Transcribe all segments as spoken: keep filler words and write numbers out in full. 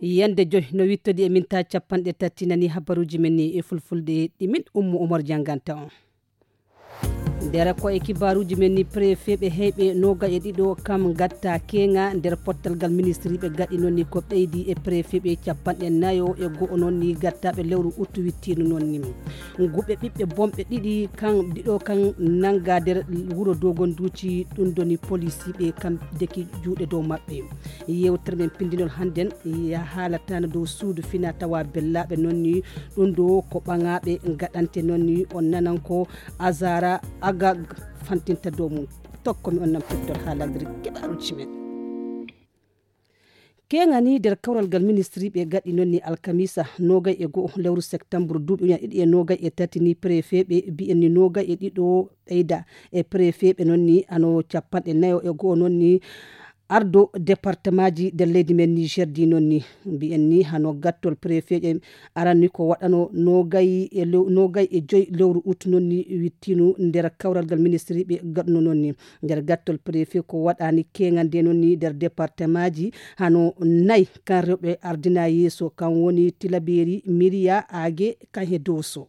Yande joy no wittodi e minta capanɗe tati nani habaruji men ni e fulfulde ɗi min Ummu Umar janganta on. Nder ko e kibaruji men ni, préfet ɓe heyɓe noga e ɗiɗo kam gatta kenga nder pottal gal ministri ɓe gaɗi noon ni ko ɓeydi e préfet ɓe capanɗe nayo e go'o noon ni gattaɓe lewru uttu wittino noon ni. Guɓe ɓiɓɓe bomɓe ɗiɗi kan ɗiɗo kan nanga nder wuro Dogonduci, ɗum doni polisiɓe kam deki juuɗe dow maɓɓe. Yewtere men pindinol hannden ya haalatano dow suudu fina tawa bellaaɓe noon ni, ɗum ɗo ko ɓaŋaaɓe gaɗante noon ni. On nanan ko Azara Agag fantinta dow mum. Tokko mi on nam tottol haalagri keɓaruji men. Keŋani nder kawral gal ministri ɓe gaɗi noon ni alkamisa nogay e go'o lewru septembre duuɓi uñan ɗiɗi e nogay e tati ni préfet ɓe mbi'en ni nogay e ɗiɗo ɓeyda e préfet ɓe noon ni ano capanɗe nayo e go'o noon ni ardo département ji nder leydi men Niger di noon ni. Mbi'en ni hano gattol préfet ɓe aran ni ko waɗano nogay e lew-, nogay e joy lewru ut noon ni wittinu nder kawral gal ministri ɓe gaɗno noon ni. Nder gattol préfet ko waɗani keŋande noon ni nder département ji hano nay kan rewɓe ardina yeeso kan woni Tilaberi, Miriya, Age, kan he Doso.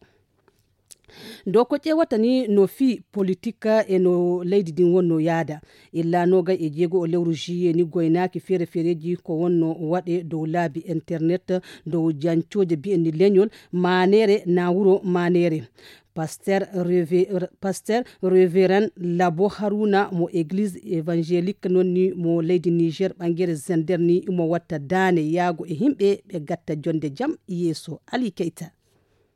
Dow ko ƴeewata ni no fii politik e no leydi ndin wonno yaada. Illa nogay e jeego o lewru juillet ni goynaaki feere-feereji ko wonno waɗe dow laabi internet, dow jancooje bi'en ni leñol, maanere na wuro maanere. Pasteur Reve-, Pasteur Reverend Labo Haruna mo Église Évangélique noon ni mo leydi Niger ɓangere Zender ni mo watta daane yaago e himɓe ɓe gatta jonde jam yeeso. Ali Keita.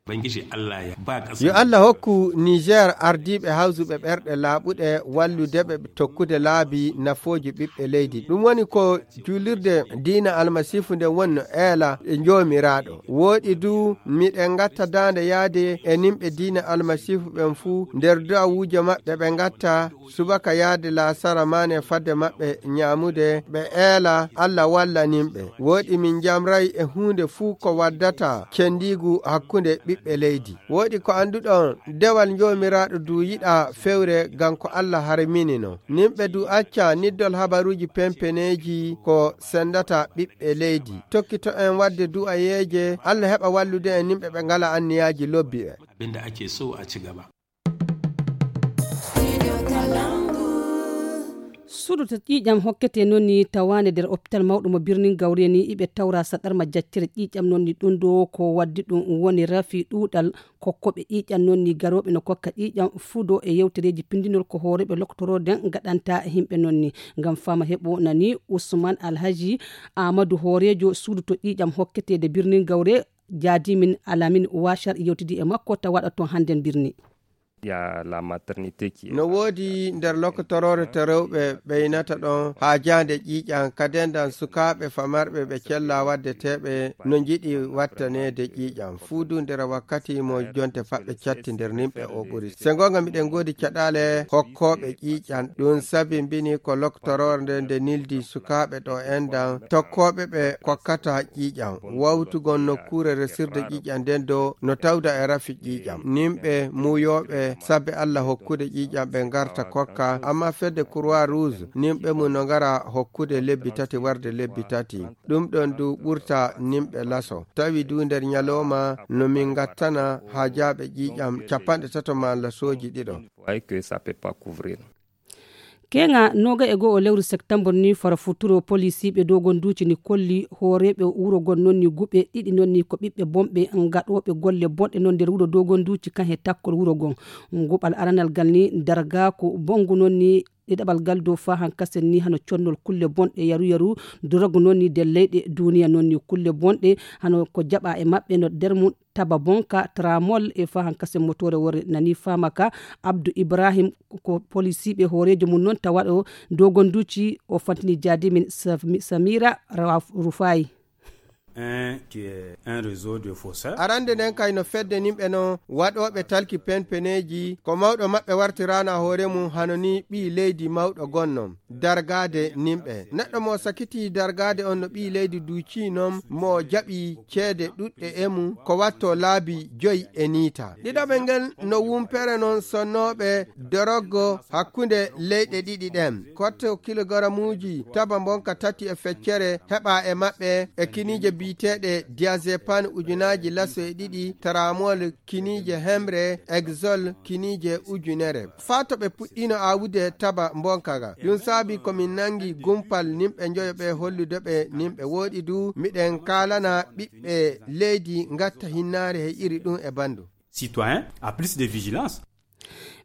Ubangiji Allah ya ba ƙasar Yo Allah hokku Niger ardiiɓe hawsuɓe ɓerɗe laaɓuɗe wallude ɓe tokkude laabi nafooji ɓiɓɓe leydi. Ɗum woni ko juulirde diina almasiifu nde wonno eela e Joomiraaɗo. Wooɗi du miɗen ngatta daande yaade e nimɓe diina almasiifu ɓen fuu nder du'awuuje maɓɓe ɓe ngatta subaka yaade laasara maane fadde maɓɓe ñaamude, ɓe eela Alla walla nimɓe. Wooɗi min njamray e huunde fuu ko waddata cendiigu hakkunde ɓiɓɓe leydi. Wooɗi ko annduɗon, dewal Joomiraaɗo du yiɗa fewre ngam ko Alla harminino. Nimɓe du acca niddol habaruuji pempeneeji ko sendata ɓiɓɓe leydi. Tokkito en waɗde du'ayeeje, Alla heɓa wallude en nimɓe ɓe ngala anniyaaji lobbi ɓe. Abin da ake so a ci gaba. Suudu to ƴiiƴam hokkete noon ni tawaande nder hôpital mawɗo mo birnin Gawre ni iɓe tawra saɗarma jaccere ƴiiƴam noon ni ɗum ɗo ko waddi ɗum woni rafi ɗuuɗal kokkoɓe ƴiiƴam noon ni garooɓe no kokka ƴiiƴam fudo e yewtereeji pindinol ko hooreeɓe loktorooden gaɗanta himɓe noon ni. Ngam fama heɓo nani Usman Alhaji Amadou hooreejo suudu to ƴiiƴam hokkete de birnin Gawre jaadimin Alamin Washar yewtidi e makko tawaɗo toon hannden birni. Il y a la maternité qui est No woodi nder lokotoroore to rewɓe ɓeynata ɗon haajaande ƴiiƴam, ka dendan sukaaɓe famarɓe ɓe cella waddeteeɓe no njiɗi wattaneede ƴiiƴam. Fuu du nder wakkati mo jonte faɓɓe catti nder nimɓe o ɓuri. Se goonga miɗen ngoodi caɗaale hokkooɓe ƴiiƴam. Ɗum sabimbini ko lokotoroore nde nde nildi sukaaɓe ɗo endan tokkooɓe ɓe kokkata ƴiiƴam. Wawtugol nokkuure resirde ƴiiƴam nden dow no tawda e rafi ƴiiƴam. Nimɓe muuyooɓe sabbe Alla hokkude ƴiiƴam ɓe ngarta kokka, amma fedde Croix Rouge nimɓe mum no ngara hokkude lebbi tati warde lebbi tati. Ɗum ɗon du ɓurta nimɓe laso. Tawi du nder ñalooma no min ngattana haajaaɓe ƴiiƴam capanɗe tato malla sooji ɗiɗo. Vous voyez que ça peut pas couvrir. Keŋa noga e go'o lewru septembre ni fara futuro polisiiɓe dogon duuci ni kolli hooreeɓe wuro gon noon ni guɓe ɗiɗi noon ni ko ɓiɓɓe bonɓe gaɗooɓe golle bonɗe noon nder wuro dogon duuci kan he takkol wuro gon. Guɓal aranal gal ni dargaaku bonngu noon ni ɗiɗaɓal gal dow faa hankasen ni hano connol kulle bonɗe yaru yaru dorogu noon ni nder leyɗe duuniya noon ni kulle bonɗe hano ko jaɓa e maɓɓe no nder mum taba bonka tramol e faa hankasen motoore worre nani faama ka. Abdou Ibrahim ko polisiiɓe hooreejo mum noon tawaɗo dogon duuci o fantini jaadimin Sami- Samira Rawa- Rufaayi. Un qui est un réseau de faussaires. Arande nden kay no fedde nimɓe no waɗooɓe talki penpeneeji ko mawɗo maɓɓe wartiraana hoore mum hano ni ɓii leydi mawɗo gonno dargaade nimɓe. Neɗɗo mo sakitii dargaade on no ɓii leydi duucii non mo jaɓi ceede ɗuɗɗe e mum ko watto laabi joyi e niita. Ɗiɗaɓe ngel no wumpere non sonnooɓe doroggo hakkunde leyɗe ɗiɗi ɗen. Kotto kilogaramuuji taba mbonka tati e feccere heɓa e maɓɓe e kiniije Biyeteeɗe diazépam ujunaaji laso e ɗiɗi, tramol kiniije hemre, exol kiniije ujunere. Faa to ɓe puɗɗiino aawude taba mbonka ga. Ɗum saabi ko min nanngi gumpal nimɓe njoyo ɓe hollude ɓe nimɓe wooɗi du. Miɗen kaalana ɓiɓɓe leydi ngatta hinnaare he iri ɗum e banndum. Citoyen a plus de vigilance.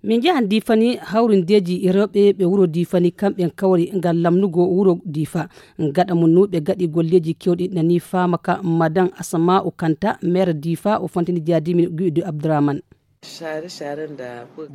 Min njahan diifani hawrindeeji rewɓe ɓe wuro diifani kamɓen kawri ngam lamnugo wuro diifa. Gaɗa mum nuuɓe gaɗi golleeji kewɗi nani faama ka madan asama o kanta maire diifa o fantini jaadimin guyɗo abdourahmane.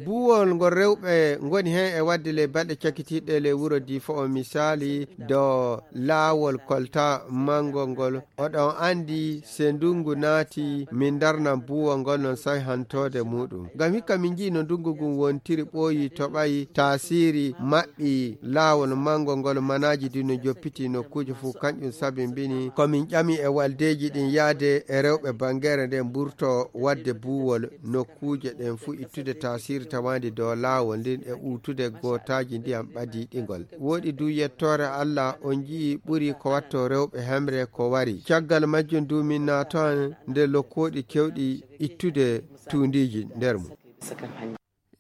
Buuwol ngol rewɓe ngoni heen e waɗde ley balɗe cakitiiɗe ley wuro diifa o misaali do laawol kolta manngol ngol. Oɗon anndi se ndungu naati min ndarnan buuwol ngol non sayhantoode muɗum. Ngam hikka min njii no ndungu ngun wontiri ɓooyi toɓayi taasiri maɓɓi laawol manngol ngol manaaji din no joppiti nokkuuje fof kanƴum sabimbini ko min ƴami e waldeeji ɗin yaade e rewɓe banngere nde mburto waɗde buuwol nokkuuje ɗen fof ittude taasiri tawaandi dow laawol ndin e uutude gootaaji ndiyam ɓadiiɗingol. Wooɗi du yettoore Allah on njii ɓuri ko watto rewɓe hemre ko wari. Caggal majjum du min naatan nder lokkooɗi kewɗi ittude tuundiiji nder mum.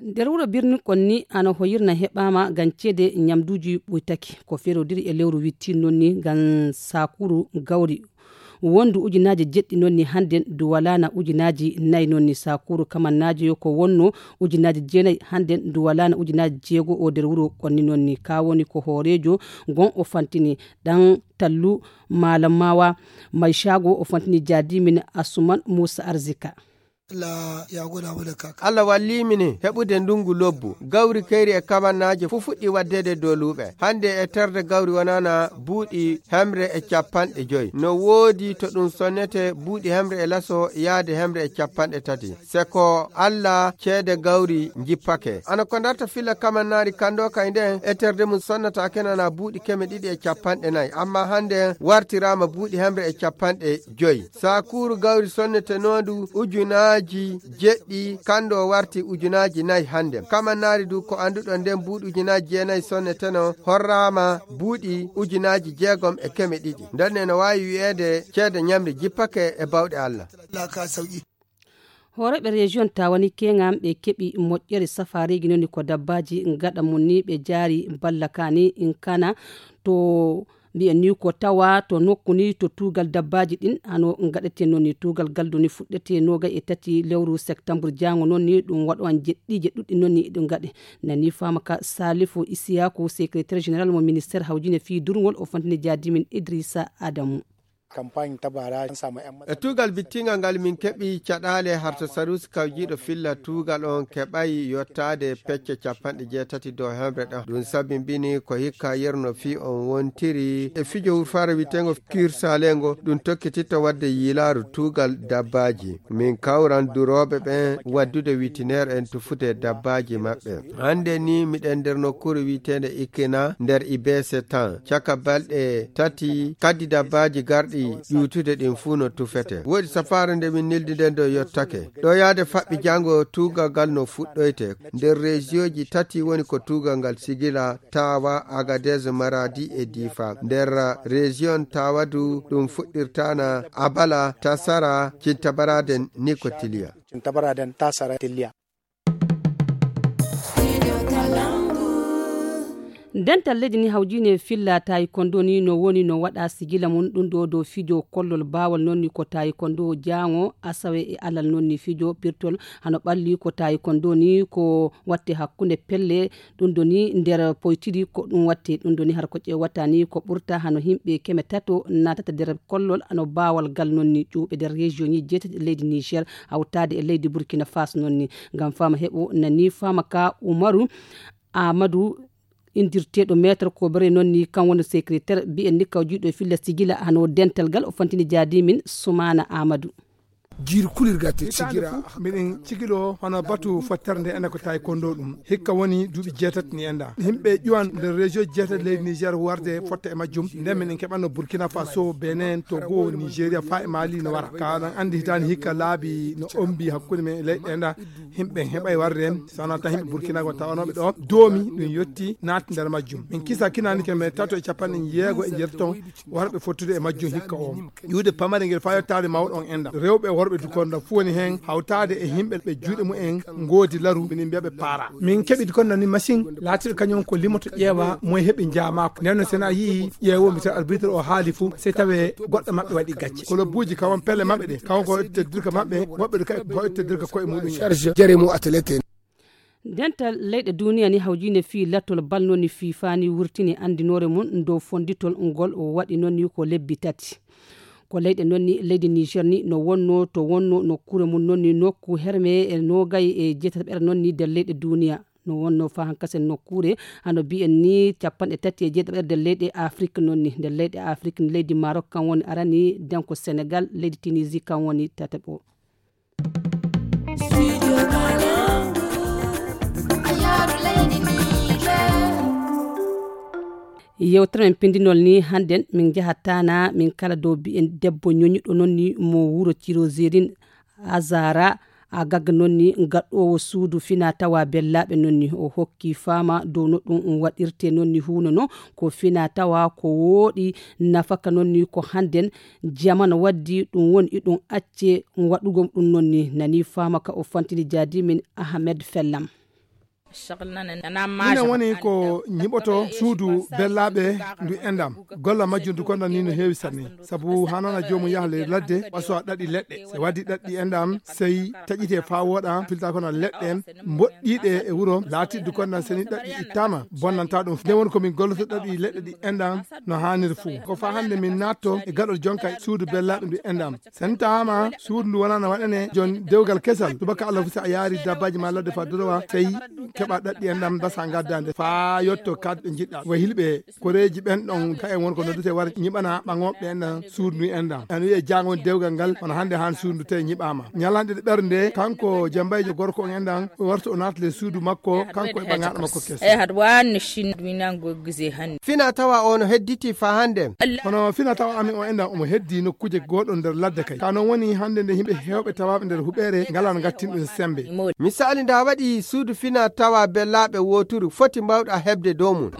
Nder wuro birni kon ni ana hoyirna heɓaama ngam ceede ñamduuji ɓuytaki ko ferodiri e lewru witti noon ni ngam saakuru gawri wondu ujunaaji jeɗɗi noon ni hannden duwalaana ujunaaji nayi noon ni saakuru kamannaajo yo ko wonno ujunaaji jeenayi hannden duwalaana ujunaaji jeego o nder wuro kon ni noon ni ka woni ko hooreejo ngon o fantini ɗan tallu maalam maawa may caago o fantini jaadimin asuman muusa arzika. Allah wallii min heɓude ndungu lobbu. Gawri keyri e kamannaaji fof fuɗɗi waɗdeede dow luuɓe. Hannde e terde gawri wonana buuɗi hemre e capanɗe joy. No woodi to ɗum sonnete buuɗi hemre e laso yaade hemre e capanɗe tati. Se ko Allah ceede gawri njippake. Ana ko darta filla kamannaari kanndo kay nden e terde mum sonnataake nana buuɗi keme ɗiɗi e capanɗe nayi. Amma hannde wartiraama buuɗi hemre e capanɗe joy. Sakuuru gawri sonnetenoodu ujunaaji jeɗɗi, kanndo o warti ujunaaji nayi hannde. Kamannaari du ko annduɗon nden buuɗi ujunaaji jeenayi sonneteno horraama buuɗi ujunaaji jeegom e keme ɗiɗi. Nden ne no waawi wi'eede ceede ñamri jippake e bawɗe Allah. Hooreeɓe région tawani keŋam ɓe keɓi moƴƴere safareeji noni ko dabbaaji gaɗa mum ni ɓe jaari ballakaani in kana to mbiyen ni ko tawa to nokku ni to tuugal dabbaaji ɗin hano gaɗete noon ni tuugal gal doni fuɗɗete noogay e tati lewru septembre jaango noon ni ɗum waɗo an jeɗɗiije ɗuɗɗi noon ni ɗum gaɗe nani faama ka salifu isiyaku secrétaire général mo ministére hawjine fii durngol o fantini jaadimin idrissa adamu. Campagne tabara sama yan e tuugal bittingal ngal min keɓi caɗaale harto sarusi kawjiiɗo filla tuugal on keɓay yottaade pecce capanɗe jeetati dow hemre ɗon ɗum sabimbini ko hikka yerno fii on wontiri e fijo wurfaare witengo kirsalengo ɗum tokkititta wadde yiilaaru tuugal dabbaaji. Min kawran durooɓe ɓen waddude witiner en tufude dabbaaji maɓɓe. Hannde ni miɗen nder nokkuure wi'eteende Ikena nder Ibese tan. Caka balɗe tati kaddi dabbaaji garɗi ƴuutude ɗin fuu no tufete. Woodi safaare nde min neldi nden ɗo yottake. Ɗo yaade faɓɓi janngo tuugal ngal no fuɗɗoyte. Nder rejiyoji tati woni ko tuugal ngal sigila Tawa, Agadez, Maradi e Difa. Nder rejiyon Tawa du ɗum fuɗɗirtana Abala, Tasara, Cintabaraden ni ko Tiliya. Cintabaraden, Tasara, Tiliya. Dental leydi ni hawjine filla tawi kondo ni no woni no waɗa sigila mum ɗum ɗo dow fijo kollol bawal noon ni ko tawi kondo jaango asawe e alal noon ni fijo pirtol hano ɓalli ko tawi kondo ni ko watte hakkunde pelle ɗum ɗo ni nder poytiri ko ɗum watte ɗum ɗo ni har koƴƴe watta ni ko ɓurta hano yimɓe keme tato natata nder kollol hano bawal gal noon ni ƴuuɓe nder région ji jeetati e leydi niger hawtaade e leydi burkina faso noon ni ngam fama heɓo nani fama ka umaru amadou indirteɗo maître kobere noon ni kan woni secrétaire mbiyen ni kawjiɗo e filla sigila hano dental gal o fantini jaadimin sumana amadou. Jiiri kulirga te sigira. Miɗen cikilo hono batu fottere nde ene ko tawi kondo ɗum. Hikka woni duuɓi jeetati ni enda. Yimɓe ƴuwan nder région jeetati leydi Niger warde fotta e majjum. Nden miɗen keɓanno Burkina Faso, Benin, Togo, Nigeria, faa e Mali no wara. Ka ɗan andi hitaani hikka laabi no ombi hakkunde men e leyɗe enda. Yimɓe heɓay warde en, sana tan yimɓe Burkina go tawanoɓe ɗo. Doomi ɗum yotti naati nder majjum. Min kisa kinani ke men tato e capanɗe jeego e jeetati ton. Warɓe fottude e majjum hikka o. Ƴuwde pamare ngel faa yottaade mawɗo on enɗam. Rewɓe e worɓe dukonda fuu woni heen hawtaade e yimɓe ɓe juuɗe mumen ngoodi laru, minen mbiya ɓe paara. Min keɓi dukonda ni machine laatiiɗo kañum ko limoto ƴeewa moye heɓi njaamaako. Nden no sena yii ƴeewomi tan arbitre o haali fuu, sey tawe goɗɗo maɓɓe waɗi gacce. Kolobuuji kawon pelle maɓɓe ɗe, kawon ko itte dirka maɓɓe, woɓɓe ɗo kay ko itte dirka koye muɗum. Charge jere mu athlète. Dental leyɗe duniya ni hawjine fii lattol bal noon ni fii faani wurtini anndinoore mum dow fonnditol ngol o waɗi noon ni ko lebbi tati. Ko leyɗe noon ni leydi Niger ni no wonno to wonno nokkuure mum noon ni nokku herme e noogay e jeetataɓere noon ni nder leyɗe duniya. No wonno faa hankasen nokkuure hano mbiyen ni capanɗe tati e jeetataɓere nder leyɗe Afrik noon ni. Nder leyɗe Afrik ni leydi Maroc kan woni arani, nden ko Senegal, leydi Tunisie kan woni tataɓo. Yewtere men pindinol ni hannden min njaha Tana, min kala dow biyen debbo ñoñuɗo noon ni mo wuro Cirozerin, Azara Agag noon ni gaɗoowo suudu fina tawa bellaaɓe noon ni. O hokki faama dow no ɗum waɗirte noon ni huuno no ko fina tawa ko wooɗi nafaka noon ni ko hannden jamano waddi ɗum woni iɗum acce waɗugol ɗum noon ni. Nani faama ka o fantini jaadi min Ahmed Fellam. Minen woni ko ñiɓoto suudu bellaaɓe ndu enɗam. Golla majjum ndu konda ni no heewi sanne. Sabu haa noon a joomum yaha ley ladde, ɓaso a ɗaɗi leɗɗe. So waddi ɗaɗɗi enɗam, sey taƴite faa wooɗa, filta kono leɗɗe en, mboɗɗiiɗe e wuro, laatiiɗe ndu konda seni ɗaɗɗi ittaama, bonnanta ɗum. Nden woni ko min golloto ɗaɗi leɗɗe ɗi enɗam no haaniri fuu. Ko faa hannde min naatto e gaɗol jonka suudu bellaaɓe ndu enɗam. Sen tawaama suudu ndu wonaa no waɗane jon dewgal kesal, tubaka Allah fu, si a yaari dabbaaji ma ladde faa dorowa, sey keɓa ɗaɗɗi enɗam mbasa ngaddaande faa yotto kad ɓe njiɗɗa. Wa hilɓe koreeji ɓen ɗon ka en won ko noddete wara ñiɓana ɓaŋooɓe en ɗan suudu ndu enɗam. En wi'e jaango woni dewgal ngal, kono hannde haan suudu ndu tawi ñiɓaama. Ñalanɗe ɗe ɓernde, kanko jambayjo gorko on enɗam, o warta o naata le suudu makko, kanko e ɓaŋaaɗo makko keso. Fina tawa o no hedditi faa hannde. Kono fina tawa amin o enɗam omo heddi nokkuuje gooɗo nder ladde kay. Ka non woni hannde nde yimɓe heewɓe tawaaɓe nder huɓeere ngalaa no ngattin ɗum sembe. Misaali nda waɗi suudu fina tawa bellaaɓe wooturu foti mbawɗa heɓde dow mum.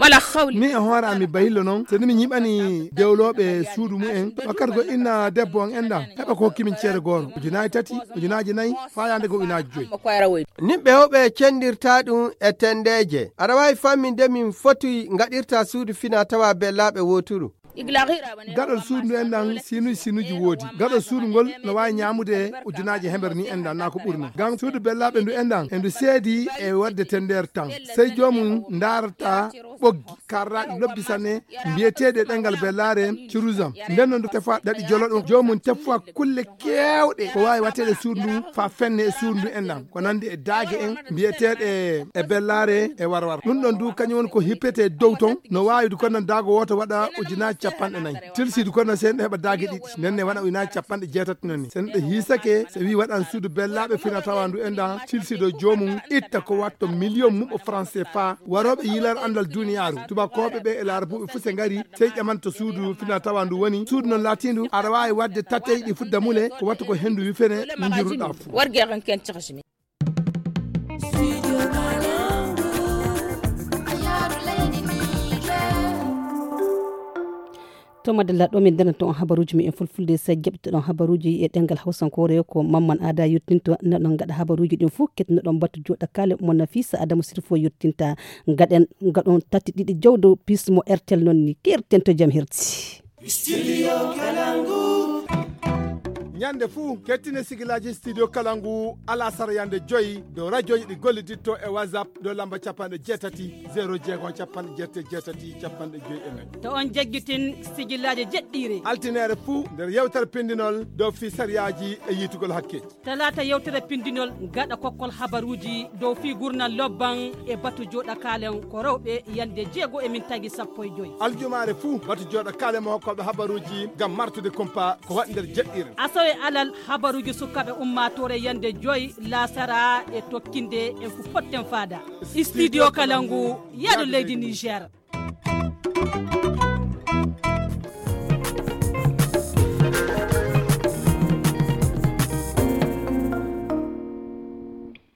Min e hoore am mi bahillo non, so mi ñiɓani dewlooɓe suudu mumen, wakkati go inna debbo on enɗam, heɓa ko hokki min ceede gooro, ujunaaji tati, ujunaaji nayi, faa yaande go ujunaaji joyi. Nimɓe heewɓe cendirta ɗum e tendeeje. Aɗa waawi famminde min foti ngaɗirta suudu fina tawa bellaaɓe wooturu? Gaɗol suudu ndu enɗam sinuji sinuji woodi. Gaɗol suudu ngol no waawi ñaamude ujunaaji hemere ni enɗam naa ko ɓuri non. Ngam suudu bellaaɓe ndu enɗam e ndu seedi e waɗde tendeere tan. Sey joomum ndaarata ɓoggi karraaɗi lobbi sanne mbiyeteeɗi e ɗemngal bellaare cirusam. Nden non ndu tefa ɗaɗi jolo ɗum. Joomum tefa kulle keewɗe ko waawi waɗteede suudu ndu faa fenne e suudu ndu enɗam. Ko nanndi e daage en mbiyeteeɗe e bellaare e warwar. Ɗum ɗon du kañum woni ko hippete dow ton. No waawi du ko nan daago wooto waɗa ujunaaji capanɗe nayi. Tilsi du ko nan sey ɗo heɓa daage ɗiɗi. Nden ne waɗa ujunaaji capanɗe jeetati non ni. Sen ɗo hiisake, so wi waɗan suudu bellaaɓe fina tawa ndu enɗam, tilsi do joomum itta ko watto miliyon muɓɓo franc C F A. Warooɓe yiilar anndal duniyaaru, tubakooɓe ɓe e laarabuɓe fuu se ngari, sey ƴamanto suudu fina tawa ndu woni. Suudu non laatiindu, aɗa waawi waɗde tateyɗi fuu damule, ko wattu ko henndu wifene, no njirruɗaa fuu. To madalla ɗo min ndenata on habaruuji men e fulfulde, sa jaɓɓitoɗon habaruuji e ɗemngal hawsankoore ko Mamman Aada yottinto. Noɗon ngaɗa habaruuji ɗin fuu, ketinoɗon batu jooɗa kaale mo Nafisa Adamu Sirfo yottinta. Ngaɗen, ngaɗon tati ɗiɗi jawdo pis mo R T L non ni. Kerten to jam herti. Studio Kalangu. Ñande fuu, kettine sigilaaji Studio Kalangu alasara yande joyi dow rajooji ɗi golliditto e WhatsApp dow lamba capanɗe jeetati, zero jeego, capanɗe jeetati, capanɗe joyi e nayi. To on jaggitin sigilaaji jeɗɗiire. Altineere fuu nder yewtere pindinol dow fii sariyaaji e yiitugol hakkeeji. Talaata yewtere pindinol gaɗa kokkol habaruuji dow fii gurnal lobban e batu jooɗa kaalen ko rewɓe yande jeego e min tagi sappo e joyi. Aljumaare fuu batu jooɗa kaalen mo hokkooɓe habaruuji ngam martude kumpa ko waɗi nder jeɗɗiire. Asawe Alal habaruuji sukaaɓe ummaatoore yande joy laasara e tokkinde en ko potten faada. Studio Kalangu, yaado leydi Niger.